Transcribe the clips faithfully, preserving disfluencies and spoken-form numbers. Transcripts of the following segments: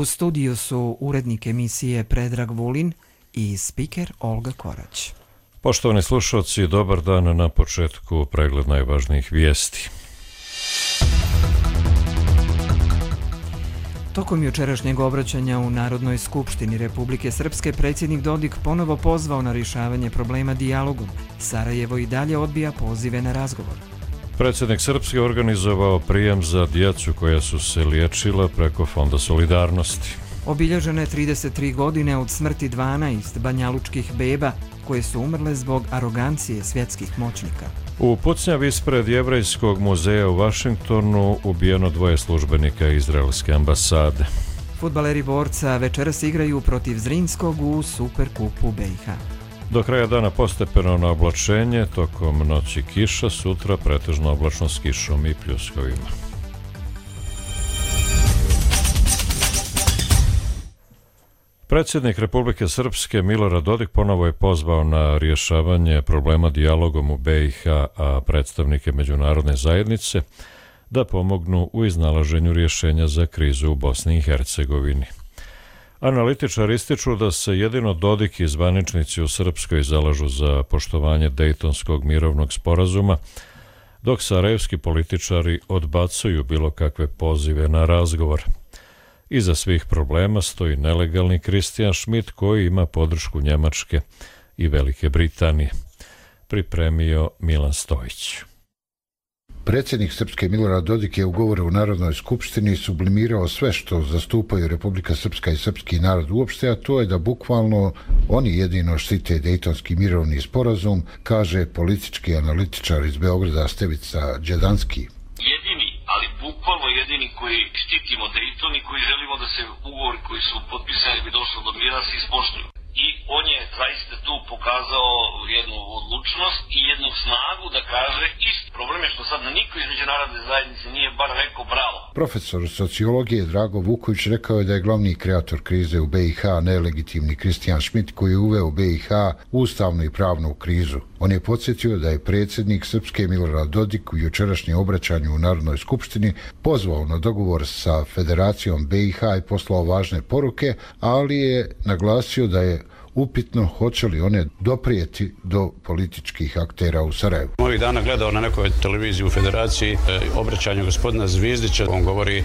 U studiju su urednik emisije Predrag Vulin i spiker Olga Korać. Poštovani slušalci, dobar dan. Na početku pregled najvažnijih vijesti. Tokom jučerašnjeg obraćanja u Narodnoj skupštini Republike Srpske predsjednik Dodik ponovo pozvao na rješavanje problema dijalogom. Sarajevo i dalje odbija pozive na razgovor. Predsjednik Srpske organizovao prijem za djecu koja su se liječila preko Fonda solidarnosti. Obilježene trideset tri godine od smrti dvanaest banjalučkih beba koje su umrle zbog arogancije svjetskih moćnika. U pucnjavi ispred Jevrejskog muzeja u Vašingtonu ubijeno dvoje službenika izraelske ambasade. Fudbaleri Borca večeras igraju protiv Zrinskog u Superkupu B i H. Do kraja dana postepeno na oblačenje, tokom noći kiša, sutra pretežno oblačno s kišom i pljuskovima. Predsjednik Republike Srpske Milorad Dodik ponovo je pozvao na rješavanje problema dijalogom u B i H, a predstavnike međunarodne zajednice da pomognu u iznalaženju rješenja za krizu u Bosni i Hercegovini. Analitičari ističu da se jedino Dodik i zvaničnici u Srpskoj zalažu za poštovanje Dejtonskog mirovnog sporazuma, dok sarajevski političari odbacuju bilo kakve pozive na razgovor. Iza svih problema stoji nelegalni Kristijan Schmidt koji ima podršku Njemačke i Velike Britanije. Pripremio Milan Stojić. Predsjednik Srpske Milorad Dodik je u govoru u Narodnoj skupštini sublimirao sve što zastupaju Republika Srpska i srpski narod uopšte, a to je da bukvalno oni jedino štite Dejtonski mirovni sporazum, kaže politički analitičar iz Beograda Stevica Đedanski. Jedini, ali bukvalno jedini koji štitimo Dejton i koji želimo da se ugovori koji su potpisani bi došlo do mira se ispoštuju. I on je zaista tu pokazao jednu odlučnost i jednu snagu da kaže isti. Problem je što sad na niko iz međunarodne zajednice nije bar rekao bravo. Profesor sociologije Drago Vuković rekao je da je glavni kreator krize u B i H nelegitimni Kristijan Schmidt koji je uveo B i H ustavnu i pravnu krizu. On je podsjetio da je predsjednik Srpske Milorad Dodik u jučerašnjem obraćanju u Narodnoj skupštini pozvao na dogovor sa Federacijom B i H i poslao važne poruke, ali je naglasio da je upitno hoće li one doprijeti do političkih aktera u Sarajevu. Ovih dana gledao na nekoj televiziji u Federaciji e, obraćanje gospodina Zvizdića. On govori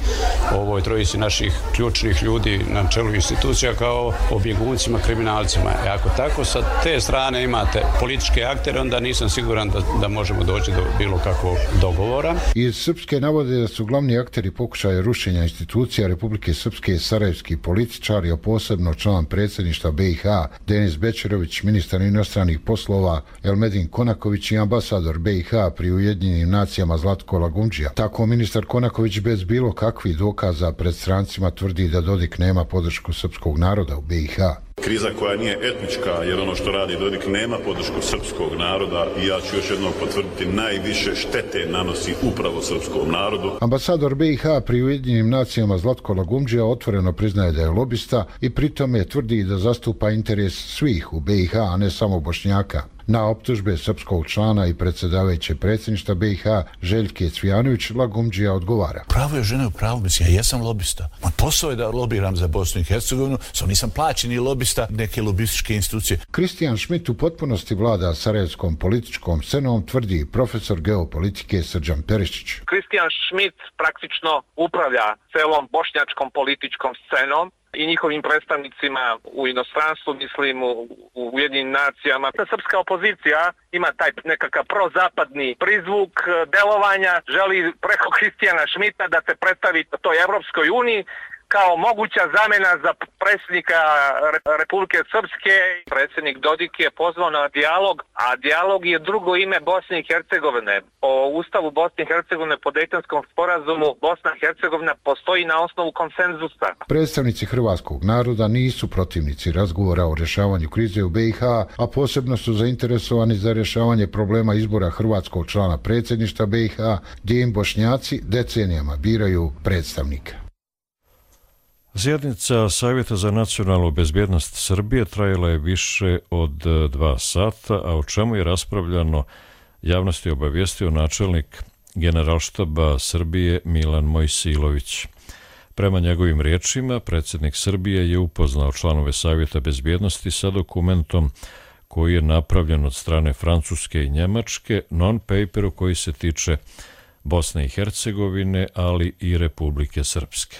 o ovoj trojici naših ključnih ljudi na čelu institucija kao o bjeguncima, kriminalcima. E, ako tako sa te strane imate političke aktere, onda nisam siguran da, da možemo doći do bilo kakvog dogovora. Iz Srpske navode da su glavni akteri pokušaja rušenja institucija Republike Srpske sarajevski političari, a posebno član predsjedništva B i H Denis Bečerović, ministar inostranih poslova Elmedin Konaković i ambasador B i H pri Ujedinjenim nacijama Zlatko Lagumdžija. Tako ministar Konaković bez bilo kakvih dokaza pred strancima tvrdi da Dodik nema podršku srpskog naroda u B i H. Kriza koja nije etnička, jer ono što radi Dodik nema podršku srpskog naroda i ja ću još jednom potvrditi, najviše štete nanosi upravo srpskom narodu. Ambasador B i H pri Ujedinjenim nacijama Zlatko Lagumdžija otvoreno priznaje da je lobista i pritome tvrdi da zastupa interes svih u B i H, a ne samo Bošnjaka. Na optužbe srpskog člana i predsjedavajuće predsjedništva B i H Željke Cvijanović Lagumdžija odgovara. Pravo je žene u pravu, mislim, ja jesam lobista. Moj posao je da lobiram za Bosnu i Hercegovinu, samo nisam plaćeni lobista neke lobističke institucije. Kristijan Schmidt u potpunosti vlada sarajevskom političkom scenom, tvrdi profesor geopolitike Srđan Perišić. Kristijan Schmidt praktično upravlja celom bošnjačkom političkom scenom i njihovim predstavnicima u inostranstvu, mislim u, u Ujedinjenim nacijama. Ta srpska opozicija ima taj nekakav prozapadni prizvuk delovanja, želi preko Kristijana Schmidta da se predstavi toj Evropskoj uniji kao moguća zamjena za predsjednika Republike Srpske. Predsjednik Dodik je pozvao na dijalog, a dijalog je drugo ime Bosne i Hercegovine. Po Ustavu Bosne i Hercegovine, po Dejtonskom sporazumu, Bosna i Hercegovina postoji na osnovu konsenzusa. Predstavnici hrvatskog naroda nisu protivnici razgovora o rješavanju krize u B i H, a posebno su zainteresovani za rješavanje problema izbora hrvatskog člana predsjedništva B i H, gdje im Bošnjaci decenijama biraju predstavnika. Sjednica Savjeta za nacionalnu bezbjednost Srbije trajala je više od dva sata, a o čemu je raspravljano javnosti obavijestio načelnik Generalštaba Srbije Milan Mojsilović. Prema njegovim riječima, predsjednik Srbije je upoznao članove Savjeta bezbjednosti sa dokumentom koji je napravljen od strane Francuske i Njemačke, non-paperu koji se tiče Bosne i Hercegovine, ali i Republike Srpske.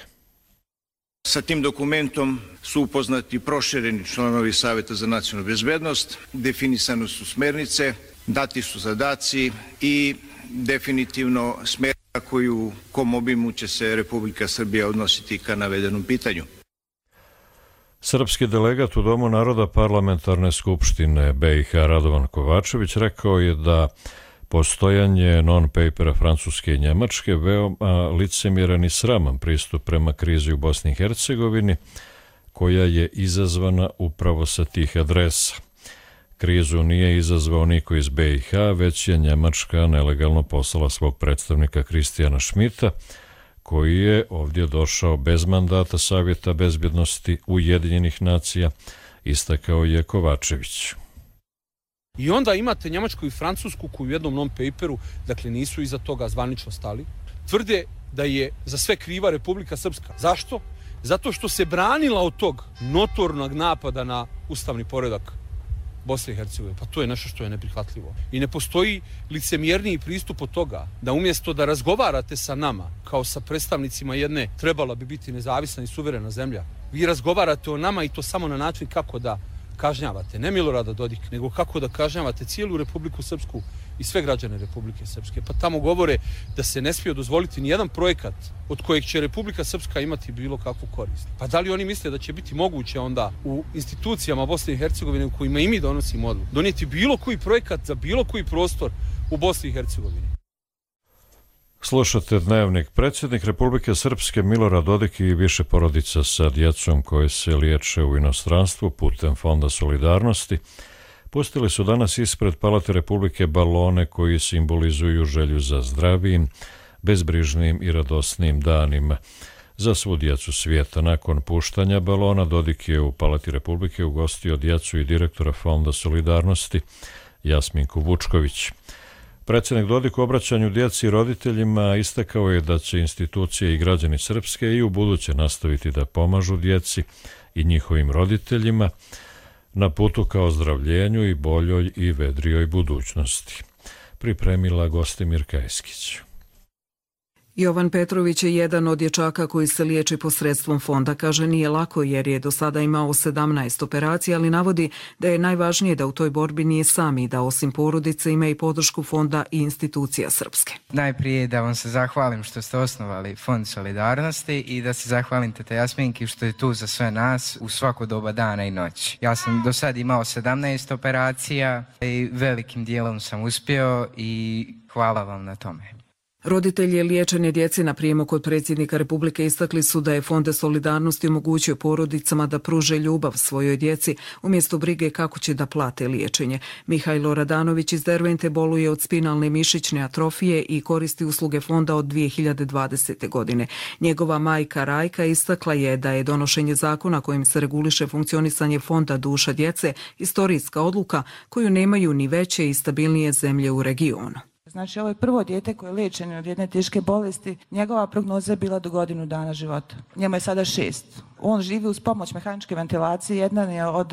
Sa tim dokumentom su upoznati prošireni članovi Savjeta za nacionalnu bezbednost, definisane su smernice, dati su zadaci i definitivno smjernica koju kom obimu će se Republika Srbija odnositi ka navedenom pitanju. Srpski delegat u Domu naroda Parlamentarne skupštine B i H Radovan Kovačević rekao je da postojanje non-papera Francuske i Njemačke veoma licemjeran i sraman pristup prema krizi u Bosni i Hercegovini, koja je izazvana upravo sa tih adresa. Krizu nije izazvao niko iz B i H, već je Njemačka nelegalno poslala svog predstavnika Kristijana Šmita, koji je ovdje došao bez mandata Savjeta bezbjednosti Ujedinjenih nacija, istakao je Kovačević. I onda imate Njemačku i Francusku koji u jednom non-paperu, dakle nisu iza toga zvanično stali, tvrde da je za sve kriva Republika Srpska. Zašto? Zato što se branila od tog notornog napada na ustavni poredak Bosne i Hercegovine. Pa to je nešto što je neprihvatljivo. I ne postoji licemjerniji pristup od toga da umjesto da razgovarate sa nama kao sa predstavnicima jedne trebala bi biti nezavisna i suverena zemlja, vi razgovarate o nama i to samo na način kako da kažnjavate, ne Milorada Dodika, nego kako da kažnjavate cijelu Republiku Srpsku i sve građane Republike Srpske. Pa tamo govore da se ne smije dozvoliti nijedan projekat od kojeg će Republika Srpska imati bilo kakvu korist. Pa da li oni misle da će biti moguće onda u institucijama Bosne i Hercegovine u kojima i mi donosimo odluku donijeti bilo koji projekat za bilo koji prostor u Bosni i Hercegovini? Slušate Dnevnik. Predsjednik Republike Srpske Milorad Dodik i više porodica sa djecom koje se liječe u inostranstvu putem Fonda solidarnosti pustili su danas ispred Palate Republike balone koji simbolizuju želju za zdravijim, bezbrižnim i radosnim danima za svu djecu svijeta. Nakon puštanja balona Dodik je u Palati Republike ugostio djecu i direktora Fonda solidarnosti Jasminku Vučković. Predsjednik Dodik u obraćanju djeci i roditeljima istakao je da će institucije i građani Srpske i u buduće nastaviti da pomažu djeci i njihovim roditeljima na putu ka ozdravljenju i boljoj i vedrijoj budućnosti. Pripremila Gostimir Kajskić. Jovan Petrović je jedan od dječaka koji se liječi posredstvom fonda. Kaže, nije lako jer je do sada imao sedamnaest operacija, ali navodi da je najvažnije da u toj borbi nije sam i da osim porodice ima i podršku fonda i institucija Srpske. Najprije da vam se zahvalim što ste osnovali Fond solidarnosti i da se zahvalim tete Jasminki što je tu za sve nas u svako doba dana i noći. Ja sam do sada imao sedamnaest operacija i velikim dijelom sam uspio i hvala vam na tome. Roditelji liječene djece na prijemu kod predsjednika Republike istakli su da je Fond solidarnosti omogućio porodicama da pruže ljubav svojoj djeci umjesto brige kako će da plate liječenje. Mihajlo Radanović iz Dervente boluje od spinalne mišićne atrofije i koristi usluge fonda od dvije hiljade dvadesete. godine. Njegova majka Rajka istakla je da je donošenje zakona kojim se reguliše funkcionisanje fonda Duša djece istorijska odluka koju nemaju ni veće i stabilnije zemlje u regionu. Znači, ovo je prvo dijete koje je liječeno od jedne teške bolesti. Njegova prognoza je bila do godinu dana života. Njemu je sada šest. On živi uz pomoć mehaničke ventilacije. Jedan je od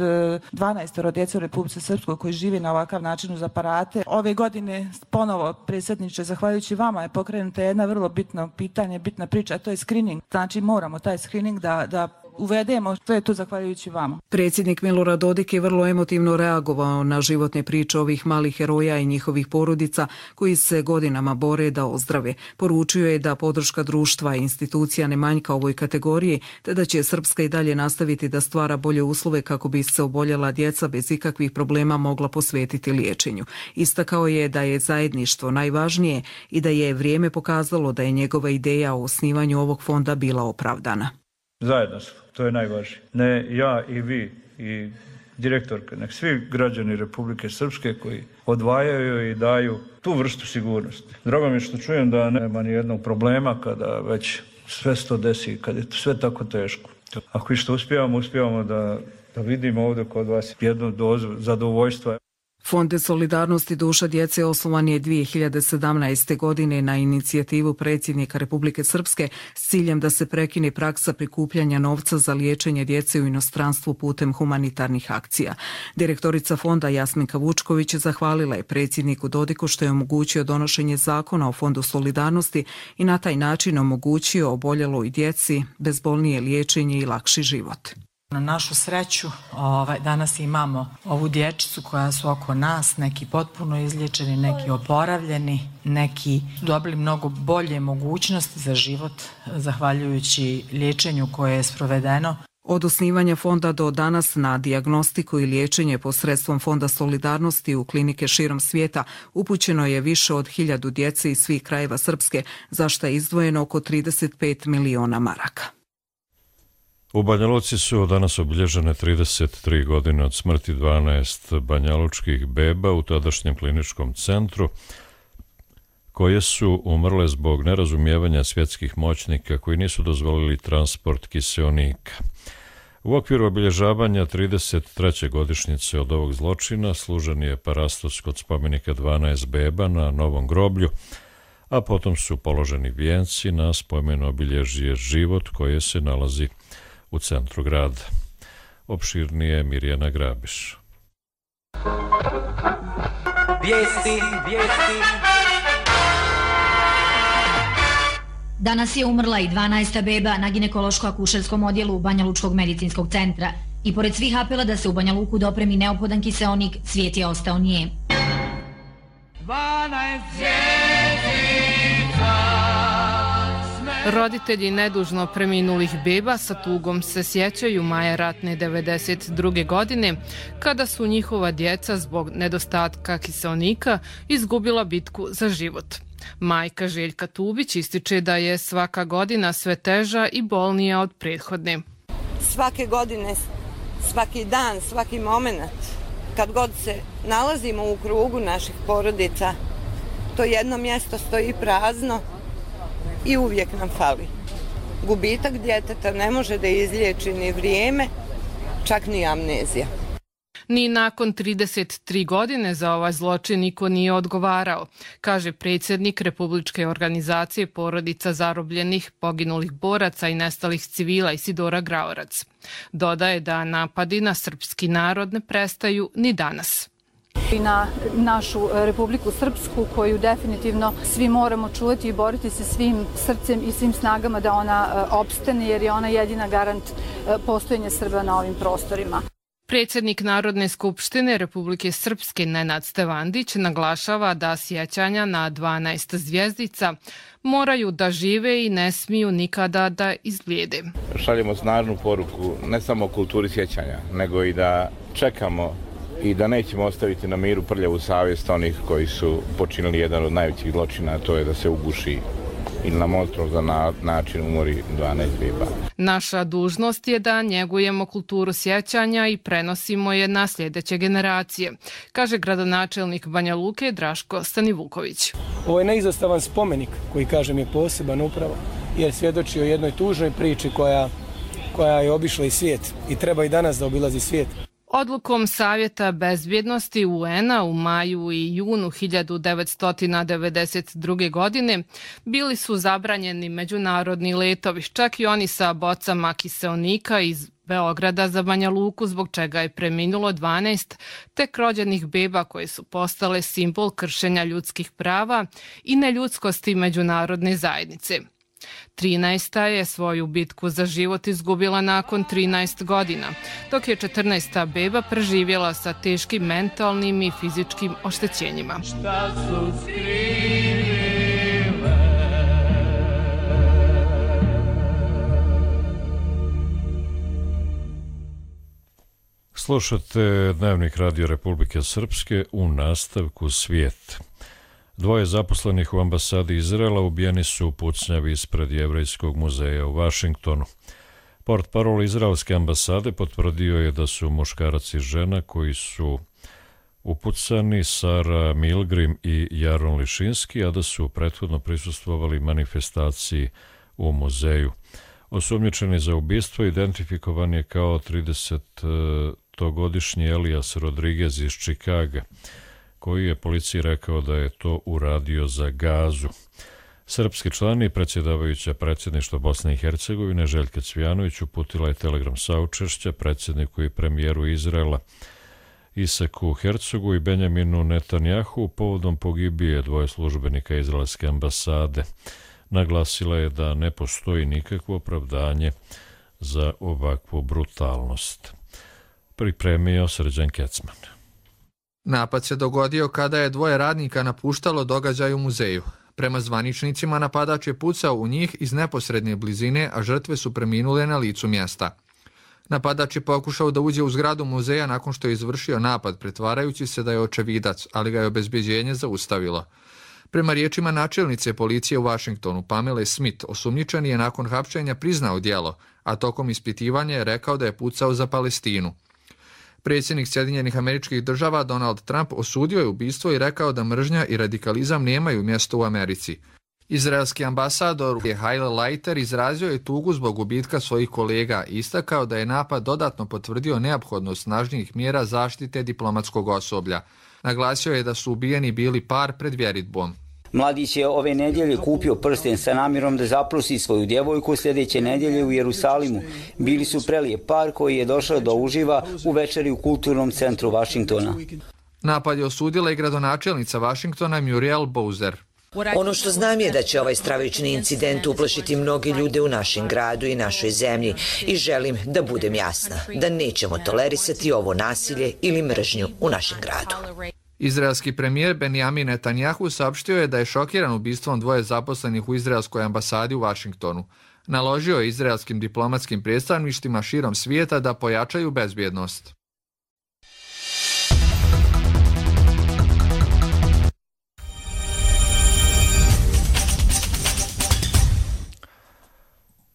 dvanaestoro djece u Republici Srpskoj koji živi na ovakav način uz aparate. Ove godine ponovo, predsjedniče, zahvaljujući vama je pokrenuta jedna vrlo bitno pitanje, bitna priča, a to je screening. Znači, moramo taj screening da, da uvedemo, to je tu zahvaljujući vama. Predsjednik Milorad Dodik je vrlo emotivno reagovao na životne priče ovih malih heroja i njihovih porodica koji se godinama bore da ozdrave. Poručio je da podrška društva i institucija ne manjka ovoj kategoriji, te da će Srpska i dalje nastaviti da stvara bolje uslove kako bi se oboljela djeca bez ikakvih problema mogla posvetiti liječenju. Istakao je da je zajedništvo najvažnije i da je vrijeme pokazalo da je njegova ideja o osnivanju ovog fonda bila opravdana. Zajedno, to je najvažnije. Ne ja i vi i direktorka, nek svi građani Republike Srpske koji odvajaju i daju tu vrstu sigurnosti. Drago mi je što čujem da nema ni jednog problema kada već sve se to desi, kada je sve tako teško. Ako i što uspijevamo, uspijevamo da, da vidimo ovdje kod vas jednu dozu zadovoljstva. Fond solidarnosti duša djece osnovan je dvije hiljade sedamnaeste. godine na inicijativu predsjednika Republike Srpske s ciljem da se prekine praksa prikupljanja novca za liječenje djece u inostranstvu putem humanitarnih akcija. Direktorica fonda Jasminka Vučković zahvalila je predsjedniku Dodiku što je omogućio donošenje zakona o Fondu solidarnosti i na taj način omogućio oboljeloj djeci bezbolnije liječenje i lakši život. Na našu sreću ovaj, danas imamo ovu dječicu koja su oko nas, neki potpuno izliječeni, neki oporavljeni, neki dobili mnogo bolje mogućnosti za život zahvaljujući liječenju koje je sprovedeno. Od osnivanja fonda do danas na dijagnostiku i liječenje posredstvom Fonda solidarnosti u klinike širom svijeta upućeno je više od hiljadu djece iz svih krajeva Srpske, za što je izdvojeno oko trideset pet miliona maraka. U Banja Luci su danas obilježene trideset tri godine od smrti dvanaest banjalučkih beba u tadašnjem kliničkom centru, koje su umrle zbog nerazumijevanja svjetskih moćnika koji nisu dozvolili transport kiseonika. U okviru obilježavanja trideset treće godišnjice od ovog zločina služen je parastos kod spomenika dvanaest beba na Novom groblju, a potom su položeni vijenci na spomen obilježje Život koje se nalazi u centru grada. Opširnije Mirjana Grabiš. Vijesti, vijesti. Danas je umrla i dvanaesta beba na ginekološko-akušerskom odjelu Banjalučkog medicinskog centra i pored svih apela da se u Banja Luku dopremi neophodan kiseonik, svijet je ostao nije. Roditelji nedužno preminulih beba sa tugom se sjećaju maja ratne devedeset druge. godine, kada su njihova djeca zbog nedostatka kiseonika izgubila bitku za život. Majka Željka Tubić ističe da je svaka godina sve teža i bolnija od prethodne. Svake godine, svaki dan, svaki moment, kad god se nalazimo u krugu naših porodica, to jedno mjesto stoji prazno i uvijek nam fali. Gubitak djeteta ne može da izliječi ni vrijeme, čak ni amnezija. Ni nakon trideset tri godine za ovaj zločin niko nije odgovarao, kaže predsjednik Republičke organizacije porodica zarobljenih, poginulih boraca i nestalih civila Isidora Graorac. Dodaje da napadi na srpski narod ne prestaju ni danas. I na našu Republiku Srpsku, koju definitivno svi moramo čuvati i boriti se svim srcem i svim snagama da ona opstane, jer je ona jedina garant postojanja Srba na ovim prostorima. Predsjednik Narodne skupštine Republike Srpske Nenad Stevandić naglašava da sjećanja na dvanaest zvjezdica moraju da žive i ne smiju nikada da izblijede. Šaljemo snažnu poruku ne samo o kulturi sjećanja, nego i da čekamo i da nećemo ostaviti na miru prljavu savjest onih koji su počinili jedan od najvećih zločina, a to je da se uguši ili na monstruozan način umori dvanaest beba. Naša dužnost je da njegujemo kulturu sjećanja i prenosimo je na sljedeće generacije, kaže gradonačelnik Banja Luke Draško Stanivuković. Ovo je neizostavan spomenik koji, kažem, je poseban upravo jer svjedoči o jednoj tužnoj priči koja, koja je obišla i svijet i treba i danas da obilazi svijet. Odlukom Savjeta bezbjednosti U N-a u maju i junu hiljadu devetsto devedeset druge. godine bili su zabranjeni međunarodni letovi, čak i oni sa bocama kiseonika iz Beograda za Banja Luku, zbog čega je preminulo dvanaest tek rođenih beba koje su postale simbol kršenja ljudskih prava i neljudskosti međunarodne zajednice. trinaesta je svoju bitku za život izgubila nakon trinaest godina, dok je četrnaesta beba preživjela sa teškim mentalnim i fizičkim oštećenjima. Šta su skrivile? Slušate Dnevnik Radio Republike Srpske, u nastavku Svijet. Dvoje zaposlenih u ambasadi Izraela ubijeni su u pucnjavi ispred Jevrejskog muzeja u Vašingtonu. Portparol izraelske ambasade potvrdio je da su muškarac i žena koji su upucani, Sara Milgrim i Jaron Lišinski, a da su prethodno prisustvovali manifestaciji u muzeju. Osumnjičeni za ubistvo identifikovan je kao dvadesetogodišnji Elias Rodriguez iz Čikaga, koji je policiji rekao da je to uradio za gazu. Srpski član i predsjedavajuća predsjedništva Bosne i Hercegovine Željka Cvijanović uputila je telegram saučešća predsjedniku i premijeru Izraela Isaku Hercogu i Benjaminu Netanjahu povodom pogibije dvoje službenika izraelske ambasade. Naglasila je da ne postoji nikakvo opravdanje za ovakvu brutalnost. Pripremio Srđan Kecman. Napad se dogodio kada je dvoje radnika napuštalo događaj u muzeju. Prema zvaničnicima, napadač je pucao u njih iz neposredne blizine, a žrtve su preminule na licu mjesta. Napadač je pokušao da uđe u zgradu muzeja nakon što je izvršio napad, pretvarajući se da je očevidac, ali ga je obezbeđenje zaustavilo. Prema riječima načelnice policije u Vašingtonu, Pamele Smith, osumnjičeni je nakon hapšenja priznao djelo, a tokom ispitivanja je rekao da je pucao za Palestinu. Predsjednik Sjedinjenih Američkih Država Donald Trump osudio je ubistvo i rekao da mržnja i radikalizam nemaju mjesto u Americi. Izraelski ambasador Haile Leiter izrazio je tugu zbog gubitka svojih kolega i istakao da je napad dodatno potvrdio neophodnost snažnijih mjera zaštite diplomatskog osoblja. Naglasio je da su ubijeni bili par pred vjeritbom. Mladić je ove nedjelje kupio prsten sa namjerom da zaprosi svoju djevojku sljedeće nedjelje u Jerusalimu. Bili su prelijep par koji je došao da uživa u večeri u kulturnom centru Vašingtona. Napad je osudila i gradonačelnica Vašingtona Muriel Bowser. Ono što znam je da će ovaj stravični incident uplašiti mnogi ljude u našem gradu i našoj zemlji i želim da budem jasna, da nećemo tolerisati ovo nasilje ili mržnju u našem gradu. Izraelski premijer Benjamin Netanjahu saopštio je da je šokiran ubistvom dvoje zaposlenih u izraelskoj ambasadi u Vašingtonu. Naložio je izraelskim diplomatskim predstavništvima širom svijeta da pojačaju bezbjednost.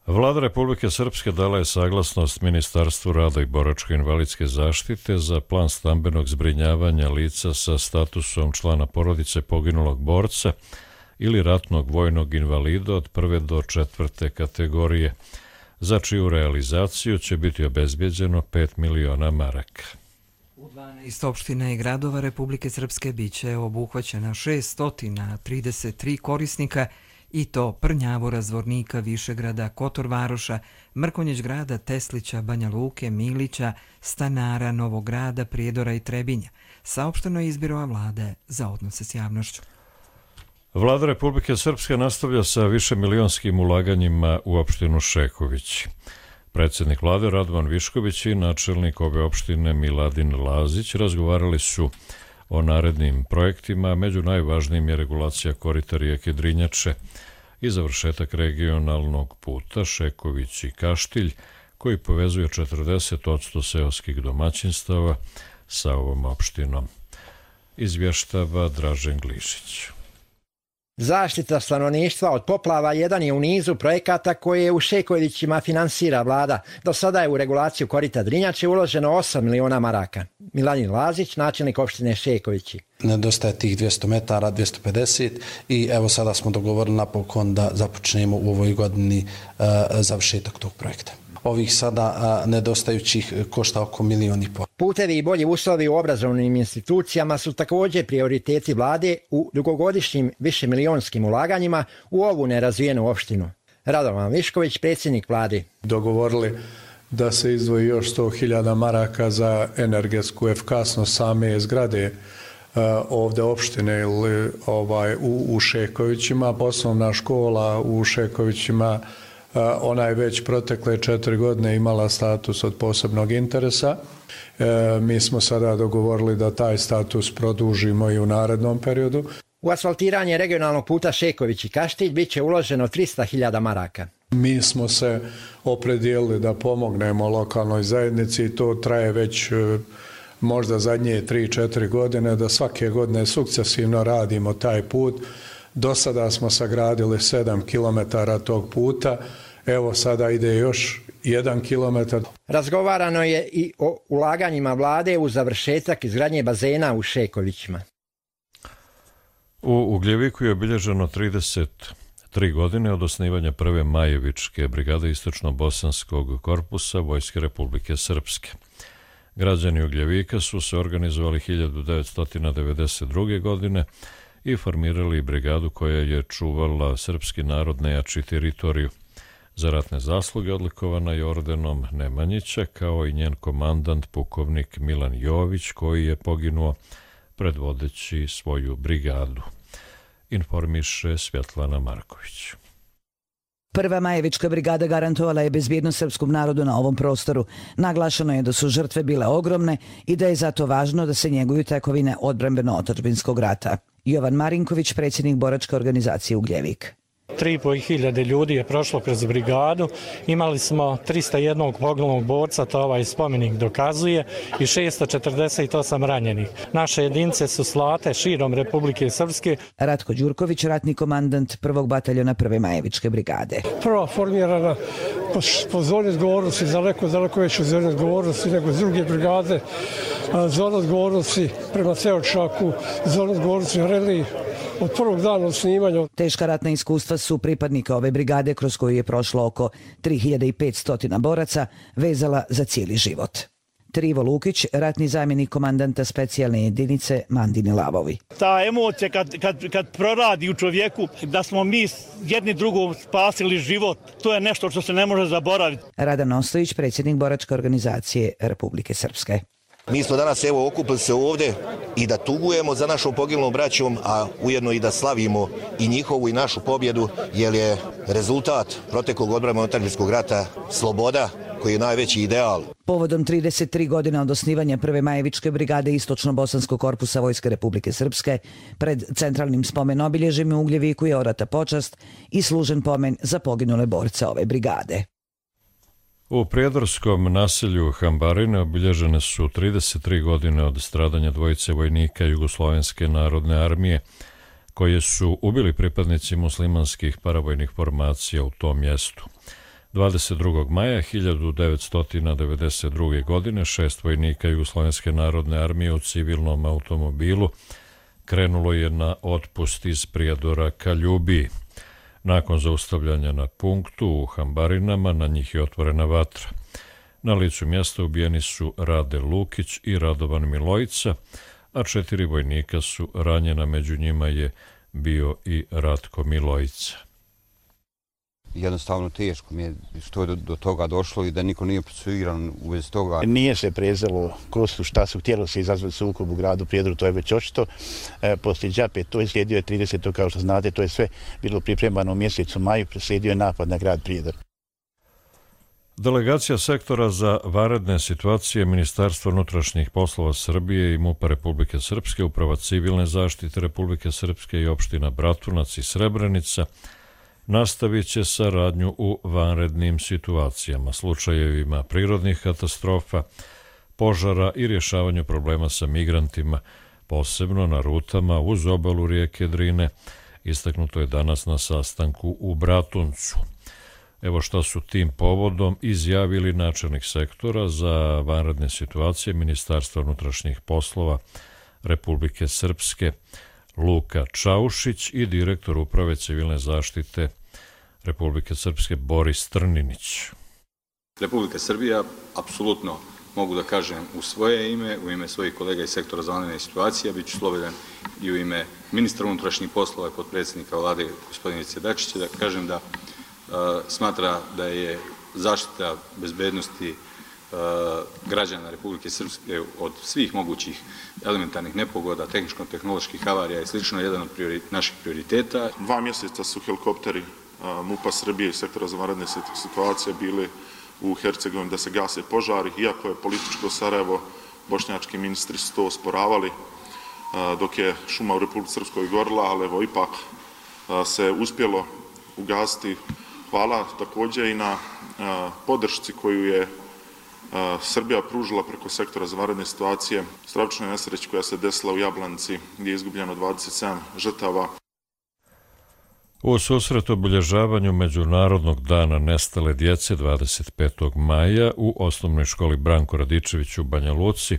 Vlada Republike Srpske dala je saglasnost Ministarstvu rada i boračko-invalidske zaštite za plan stambenog zbrinjavanja lica sa statusom člana porodice poginulog borca ili ratnog vojnog invalida od prve do četvrte kategorije, za čiju realizaciju će biti obezbeđeno pet miliona maraka. U dvanaest opština i gradova Republike Srpske biće obuhvaćena šesto trideset tri korisnika, i to Prnjavora, Zvornika, Višegrada, Kotorvaroša, Mrkonjić grada, Teslića, Banja Luke, Milića, Stanara, Novog grada, Prijedora i Trebinja. Saopšteno je iz Biroa vlade za odnose s javnošću. Vlada Republike Srpske nastavlja sa višemilionskim ulaganjima u opštinu Šeković. Predsjednik vlade Radovan Višković i načelnik ove opštine Miladin Lazić razgovarali su o narednim projektima, među najvažnijim je regulacija korita rijeke Drinjače i završetak regionalnog puta Šeković i Kaštilj, koji povezuje četrdeset posto seoskih domaćinstava sa ovom opštinom. Izvještava Dražen Glišić. Zaštita stanovništva od poplava jedan je u nizu projekata koje u Šekovićima finansira vlada. Do sada je u regulaciju korita Drinjače uloženo osam miliona maraka. Miladin Lazić, načelnik opštine Šekovići. Nedostaje tih dvjesto metara, dvjesto pedeset i evo sada smo dogovorili napokon da započnemo u ovoj godini uh, završetak tog projekta. Ovih sada a, nedostajućih košta oko milijon i pol. Putevi i bolji uslovi u obrazovnim institucijama su također prioriteti vlade u dugogodišnjim višemilijonskim ulaganjima u ovu nerazvijenu opštinu. Radovan Višković, predsjednik vlade. Dogovorili da se izdvoji još sto hiljada maraka za energetsku efikasnost same zgrade uh, ovdje opštine ili ovaj, u, u Šekovićima. Poslovna škola u Šekovićima, Uh, ona je već protekle četiri godine imala status od posebnog interesa. Uh, mi smo sada dogovorili da taj status produžimo i u narednom periodu. U asfaltiranje regionalnog puta Šeković i Kaštilj bit će uloženo trista hiljada maraka. Mi smo se opredijelili da pomognemo lokalnoj zajednici i to traje već uh, možda zadnje tri četiri godine, da svake godine sukcesivno radimo taj put. Do sada smo sagradili sedam kilometara tog puta, evo sada ide još jedan kilometar. Razgovarano je i o ulaganjima vlade u završetak izgradnje bazena u Šekovićima. U Ugljeviku je obilježeno trideset tri godine od osnivanja prve Majevičke brigade istočno-bosanskog korpusa Vojske Republike Srpske. Građani Ugljevika su se organizovali hiljadu devetsto devedeset druge. godine i formirali brigadu koja je čuvala srpski narod nejači teritoriju. Za ratne zasluge odlikovana je ordenom Nemanjića, kao i njen komandant pukovnik Milan Jović, koji je poginuo predvodeći svoju brigadu. Informiše Svjetlana Marković. Prva Majevička brigada garantovala je bezbjednost srpskom narodu na ovom prostoru. Naglašeno je da su žrtve bile ogromne i da je zato važno da se njeguju tekovine odbrambeno-otadžbinskog rata. Jovan Marinković, predsjednik boračke organizacije Ugljevik. tri i po hiljade ljudi je prošlo kroz brigadu. Imali smo trista jedan poginulog borca, to ovaj spomenik dokazuje, i šesto četrdeset osam ranjenih. Naše jedinice su slate širom Republike Srpske. Ratko Đurković, ratni komandant prvog bataljona prve Majevičke brigade. Prva formirana po, po zoni odgovornosti, daleko, daleko veću zoni odgovornosti nego s druge brigade. Zona odgovornosti prema Ceočaku, zona odgovornosti Reli, od prvog dana osnivanja. Teška ratna iskustva su pripadnika ove brigade, kroz koju je prošlo oko tri hiljade petsto boraca, vezala za cijeli život. Trivo Lukić, ratni zamjenik komandanta specijalne jedinice Mandini Lavovi. Ta emocija kad, kad, kad proradi u čovjeku da smo mi jedni drugom spasili život, to je nešto što se ne može zaboraviti. Radan Ostojić, predsjednik boračke organizacije Republike Srpske. Mi smo danas evo okupili se ovdje i da tugujemo za našom poginulom braćom, a ujedno i da slavimo i njihovu i našu pobjedu, jer je rezultat proteklog odbrambeno-otadžbinskog rata sloboda, koji je najveći ideal. Povodom trideset tri godine od osnivanja prve Majevičke brigade Istočno-bosanskog korpusa Vojske Republike Srpske, pred centralnim spomen obilježjem u Ugljeviku je orata počast i služen pomen za poginule borce ove brigade. U prijedorskom naselju Hambarine obilježene su trideset tri godine od stradanja dvojice vojnika Jugoslovenske narodne armije, koje su ubili pripadnici muslimanskih paravojnih formacija u tom mjestu. dvadeset drugog maja hiljadu devetsto devedeset druge. godine šest vojnika Jugoslovenske narodne armije u civilnom automobilu krenulo je na otpust iz Prijedora ka Ljubiji. Nakon zaustavljanja na punktu u Hambarinama na njih je otvorena vatra. Na licu mjesta ubijeni su Rade Lukić i Radovan Milojica, a četiri vojnika su ranjena, među njima je bio i Ratko Milojica. Jednostavno teško mi je što je do, do toga došlo i da niko nije procesuiran u vezi toga. Nije se prezelo ko su, šta su, htjelo se izazvati sukob u gradu Prijedoru, to je već očito. E, poslije Đape, to je slijedio je tridesetog kao što znate, to je sve bilo pripremano u mjesecu maju, preslijedio je napad na grad Prijedor. Delegacija sektora za vanredne situacije Ministarstva unutrašnjih poslova Srbije i MUP-a Republike Srpske, Uprava civilne zaštite Republike Srpske i opština Bratunac i Srebrenica nastavit će saradnju u vanrednim situacijama, slučajevima prirodnih katastrofa, požara i rješavanju problema sa migrantima, posebno na rutama uz obalu rijeke Drine, istaknuto je danas na sastanku u Bratuncu. Evo šta su tim povodom izjavili načelnik sektora za vanredne situacije Ministarstva unutrašnjih poslova Republike Srpske Luka Čaušić i direktor Uprave civilne zaštite Republike Srpske Boris Trninić. Republika Srbija, apsolutno mogu da kažem u svoje ime, u ime svojih kolega iz sektora za vanredne situacije, bit ću slobodan i u ime ministra unutrašnjih poslova i potpredsjednika vlade gospodina Ivice Dačića, da kažem da uh, smatra da je zaštita bezbednosti građana Republike Srpske od svih mogućih elementarnih nepogoda, tehničko-tehnoloških havarija i slično, jedan od priori, naših prioriteta. Dva mjeseca su helikopteri MUP-a Srbije i sektora za vanredne situacije bili u Hercegovini da se gase požari, iako je političko Sarajevo, bošnjački ministri su to osporavali, dok je šuma u Republici Srpskoj gorila, ali evo ipak se uspjelo ugasiti. Hvala također i na podršci koju je Srbija pružila preko sektora za vanredne situacije stravičnoj nesreći koja se desila u Jablanci, gdje je izgubljeno dvadeset sedam žrtava. U susret obilježavanju Međunarodnog dana nestale djece dvadeset petog maja u osnovnoj školi Branko Radičević u Banja Luci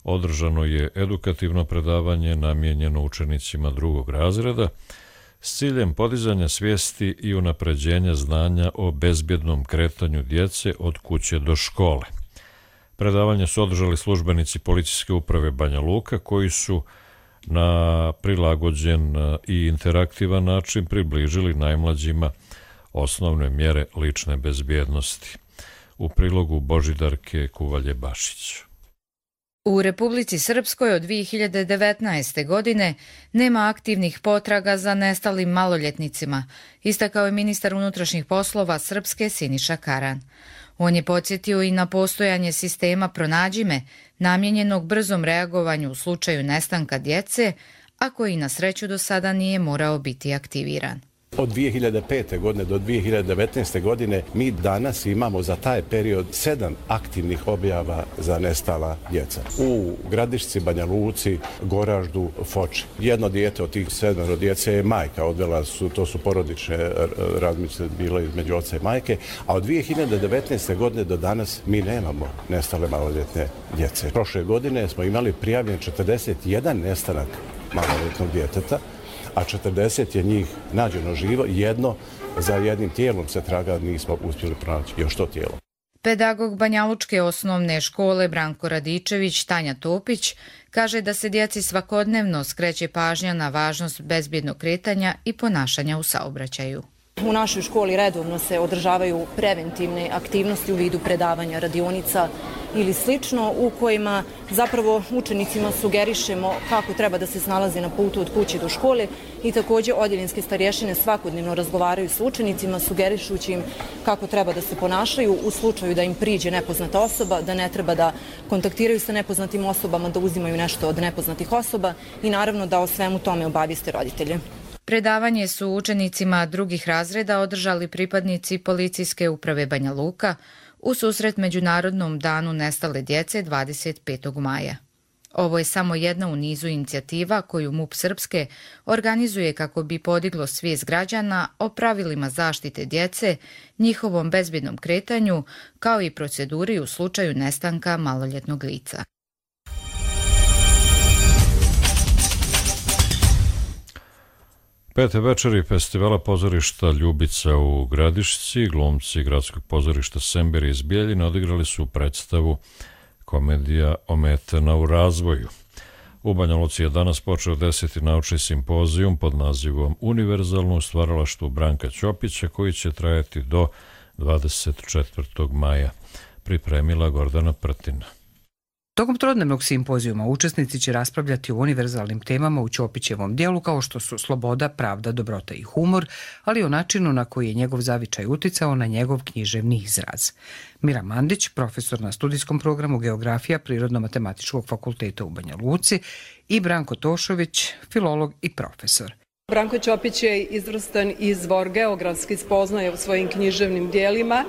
održano je edukativno predavanje namijenjeno učenicima drugog razreda s ciljem podizanja svijesti i unapređenja znanja o bezbjednom kretanju djece od kuće do škole. Predavanje su održali službenici policijske uprave Banja Luka koji su na prilagođen i interaktivan način približili najmlađima osnovne mjere lične bezbjednosti. U prilogu Božidarke Kuvalje-Bašić. U Republici Srpskoj od dvije hiljade devetnaeste. godine nema aktivnih potraga za nestalim maloljetnicima, istakao je ministar unutrašnjih poslova Srpske Siniša Karan. On je podsjetio i na postojanje sistema Pronađi me, namijenjenog brzom reagovanju u slučaju nestanka djece, a koji na sreću do sada nije morao biti aktiviran. Od dvije hiljade pete. godine do dvije hiljade devetnaeste. godine mi danas imamo za taj period sedam aktivnih objava za nestala djeca. U Gradišci, Banja Luci, Goraždu, Foči. Jedno dijete od tih sedmero djece je majka, odvela su, to su porodične razmice bile između oca i majke, a od dvije hiljade devetnaeste. godine do danas mi nemamo nestale maloljetne djece. Prošle godine smo imali prijavljen četrdeset jedan nestanak maloljetnog djeteta, a četrdeset je njih nađeno živo, jedno za jednim tijelom se traga, nismo uspjeli pronaći još to tijelo. Pedagog Banjalučke osnovne škole Branko Radičević Tanja Topić kaže da se djeci svakodnevno skreće pažnja na važnost bezbjednog kretanja i ponašanja u saobraćaju. U našoj školi redovno se održavaju preventivne aktivnosti u vidu predavanja radionica ili slično, u kojima zapravo učenicima sugerišemo kako treba da se snalaze na putu od kuće do škole i također odjeljenske starješine svakodnevno razgovaraju s učenicima sugerišući im kako treba da se ponašaju u slučaju da im priđe nepoznata osoba, da ne treba da kontaktiraju sa nepoznatim osobama, da uzimaju nešto od nepoznatih osoba i naravno da o svemu tome obavijeste roditelje. Predavanje su učenicima drugih razreda održali pripadnici policijske uprave Banja Luka u susret Međunarodnom danu nestale djece dvadeset petog maja. Ovo je samo jedna u nizu inicijativa koju MUP Srpske organizuje kako bi podiglo svijest građana o pravilima zaštite djece, njihovom bezbjednom kretanju, kao i proceduri u slučaju nestanka maloljetnog lica. Pete večeri festivala pozorišta Ljubica u Gradišci, glumci gradskog pozorišta Semberi iz Bijeljine odigrali su predstavu Komedija ometena u razvoju. U Banja Luci je danas počeo deseti naučni simpozijum pod nazivom Univerzalno u stvaralaštvu Branka Ćopića, koji će trajati do dvadeset četvrtog maja. Pripremila Gordana Prtina. Tokom trodnevnog simpozijuma učesnici će raspravljati o univerzalnim temama u Ćopićevom dijelu kao što su sloboda, pravda, dobrota i humor, ali i o načinu na koji je njegov zavičaj uticao na njegov književni izraz. Mira Mandić, profesor na studijskom programu Geografija Prirodno-matematičkog fakulteta u Banja Luci, i Branko Tošović, filolog i profesor. Branko Ćopić je izvrstan izvor geografskih spoznaja u svojim književnim dijelima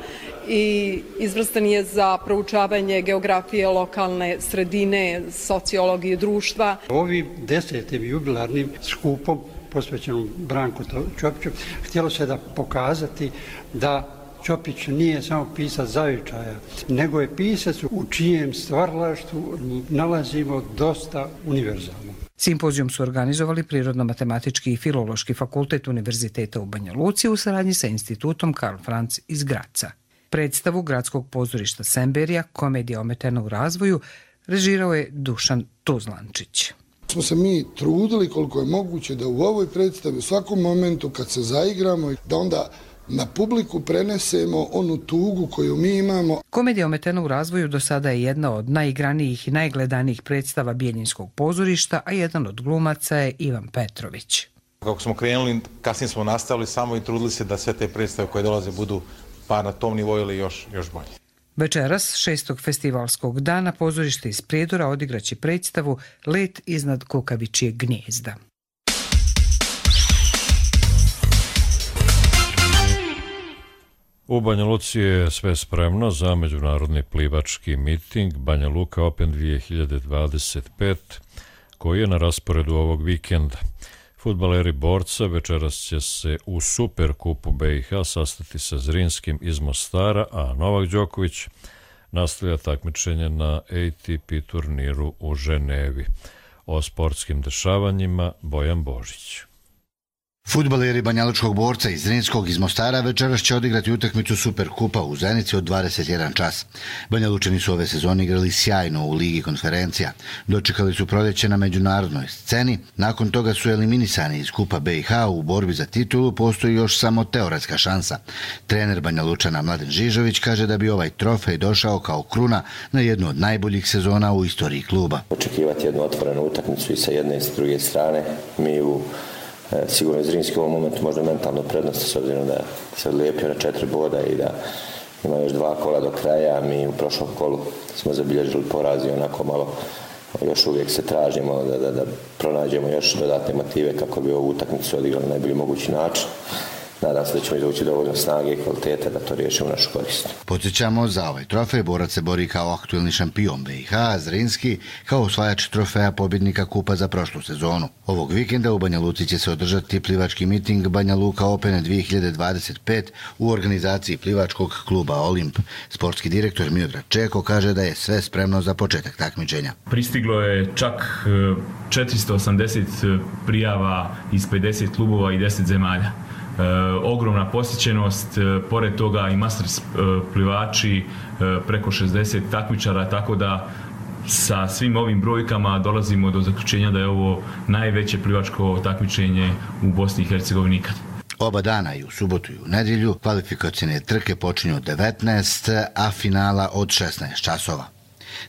i izvrstan je za proučavanje geografije lokalne sredine, sociologije društva. Ovim desetim jubilarnim skupom posvećenom Branku Ćopiću htjelo se da pokazati da Ćopić nije samo pisac zavičaja, nego je pisac u čijem stvaralaštvu nalazimo dosta univerzalno. Simpozijum su organizovali Prirodno-matematički i Filološki fakultet Univerziteta u Banja Luci u saradnji sa institutom Karl Franz iz Graca. Predstavu gradskog pozorišta Semberija, Komedija ometena u razvoju, režirao je Dušan Tuzlančić. Smo se mi trudili koliko je moguće da u ovoj predstavi u svakom momentu kad se zaigramo, da onda na publiku prenesemo onu tugu koju mi imamo. Komedija ometena u razvoju do sada je jedna od najigranijih i najgledanijih predstava Bijeljinskog pozorišta, a jedan od glumaca je Ivan Petrović. Kako smo krenuli, kasnije smo nastavili samo i trudili se da sve te predstave koje dolaze budu pa na tom nivou ili još, još bolje. Večeras, šestog festivalskog dana, pozorište iz Prijedora odigraće predstavu Let iznad kukavičijeg gnijezda. U Banja Luci je sve spremno za međunarodni plivački miting Banja Luka Open dvije hiljade dvadeset pet, koji je na rasporedu ovog vikenda. Fudbaleri Borca večeras će se u Superkupu B i H sastati sa Zrinskim iz Mostara, a Novak Đoković nastavlja takmičenje na A T P turniru u Ženevi. O sportskim dešavanjima Bojan Božić. Fudbaleri banjalučkog borca iz Zrinskog iz Mostara večeras će odigrati utakmicu Superkupa u Zenici od dvadeset jedan čas. Banjalučani su ove sezone igrali sjajno u Ligi konferencija. Dočekali su proljeće na međunarodnoj sceni, nakon toga su eliminisani iz Kupa B i H. U borbi za titulu postoji još samo teoretska šansa. Trener Banjalučana Mladen Žižović kaže da bi ovaj trofej došao kao kruna na jednu od najboljih sezona u istoriji kluba. Očekivati jednu otvorenu utakmicu i sa jedne i sa druge strane. Mi u sigurno Zrinski u ovom momentu možda mentalno prednost, s obzirom da se odlijepio na četiri boda i da ima još dva kola do kraja. Mi u prošlom kolu smo zabilježili poraz i onako malo još uvijek se tražimo da, da, da pronađemo još dodatne motive kako bi ovu utakmicu odigrali na najbolji mogući način. Nadam se da ćemo izvući dovoljno snage i kvalitete da to riješimo u našu korist. Podsjećamo, za ovaj trofej borac se bori kao aktuelni šampion B i H, a Zrinski kao osvajač trofeja pobjednika Kupa za prošlu sezonu. Ovog vikenda u Banja Luci će se održati plivački miting Banja Luka Open dvije hiljade dvadeset pet u organizaciji plivačkog kluba Olimp. Sportski direktor Miodrag Čeko kaže da je sve spremno za početak takmičenja. Pristiglo je čak četiristo osamdeset prijava iz pedeset klubova i deset zemalja. E, ogromna posjećenost, e, pored toga i masters e, plivači, e, preko šezdeset takmičara, tako da sa svim ovim brojkama dolazimo do zaključenja da je ovo najveće plivačko takmičenje u Bosni i Hercegovini ikad. Oba dana, i u subotu i u nedjelju, kvalifikacijne trke počinju od devetnaest, a finala od šesnaest časova.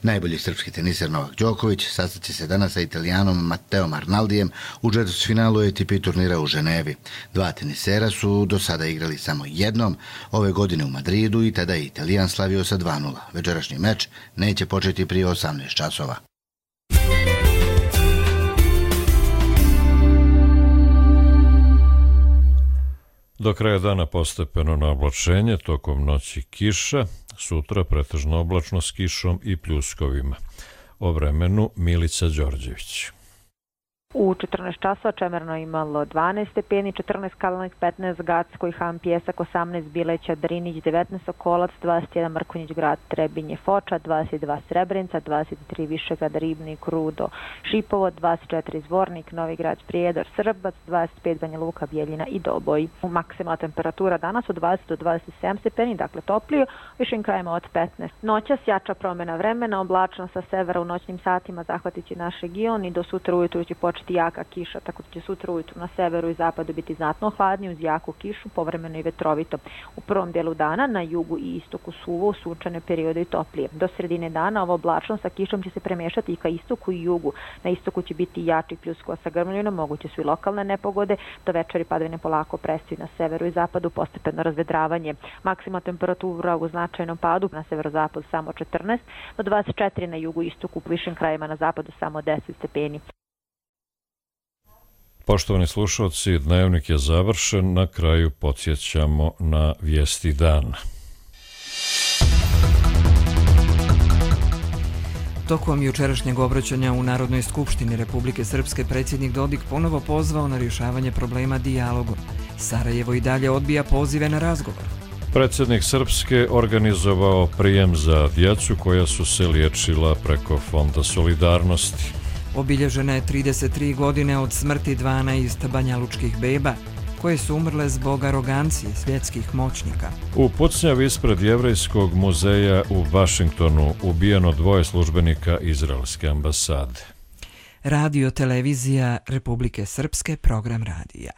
Najbolji srpski teniser Novak Đoković sastaće se danas sa Italijanom Matteom Arnaldijem u četvrtfinalu A T P turnira u Ženevi. Dva tenisera su do sada igrali samo jednom, ove godine u Madridu, i tada je Italijan slavio sa dva nula. Večerašnji meč neće početi prije osamnaest časova. Do kraja dana postepeno na oblačenje, tokom noći kiša, sutra pretežno oblačno s kišom i pljuskovima. O vremenu Milica Đorđević. U četrnaest časova čemerno imalo dvanaest stepeni, četrnaest Kalnik, petnaest Gacko i Han Pjesak, osamnaest Bileća, Drinić, devetnaest Sokolac, dvadeset jedan Mrkonjić Grad, Trebinje, Foča, dvadeset dva Srebrenica, dvadeset tri Višegrad, Ribnik, Rudo, Šipovo, dvadeset četiri Zvornik, Novi Grad, Prijedor, Srbac, dvadeset pet Banja Luka, Bjeljina i Doboj. Maksimalna temperatura danas od dvadeset do dvadeset sedam stepeni, dakle toplije, višim krajima od petnaest. Noćas jača promjena vremena, oblačno sa severa u noćnim satima zahvatići naš region i do sutra ujutru će početi jaka kiša, tako da će sutra ujutru na severu i zapadu biti znatno hladnije uz jaku kišu, povremeno i vetrovito. U prvom dijelu dana na jugu i istoku suvo, sunčane periode i toplije. Do sredine dana ovo oblačno sa kišom će se premješati i ka istoku i jugu. Na istoku će biti jači pljuskova sa grmljinom, moguće su i lokalne nepogode, do večeri padavine polako prestaju na severu i zapadu, postepeno razvedravanje. Maksimalna temperatura u značajnom padu na severozapadu samo četrnaest, do dvadeset četiri na jugu i istoku, u višim krajima na zapadu samo deset stepeni. Poštovani slušalci, dnevnik je završen, na kraju podsjećamo na vijesti dana. Tokom jučerašnjeg obraćanja u Narodnoj skupštini Republike Srpske predsjednik Dodik ponovo pozvao na rješavanje problema dijalogom. Sarajevo i dalje odbija pozive na razgovor. Predsjednik Srpske organizovao prijem za djecu koja su se liječila preko Fonda solidarnosti. Obilježena je trideset tri godine od smrti dvanaest banjalučkih beba, koje su umrle zbog arogancije svjetskih moćnika. U pucnjavi ispred Jevrejskog muzeja u Vašingtonu ubijeno dvoje službenika izraelske ambasade. Radio televizija Republike Srpske, program radija.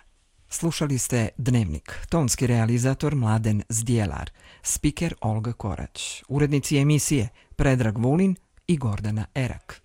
Slušali ste Dnevnik, tonski realizator Mladen Zdjelar, spiker Olga Korać, urednici emisije Predrag Vulin i Gordana Erak.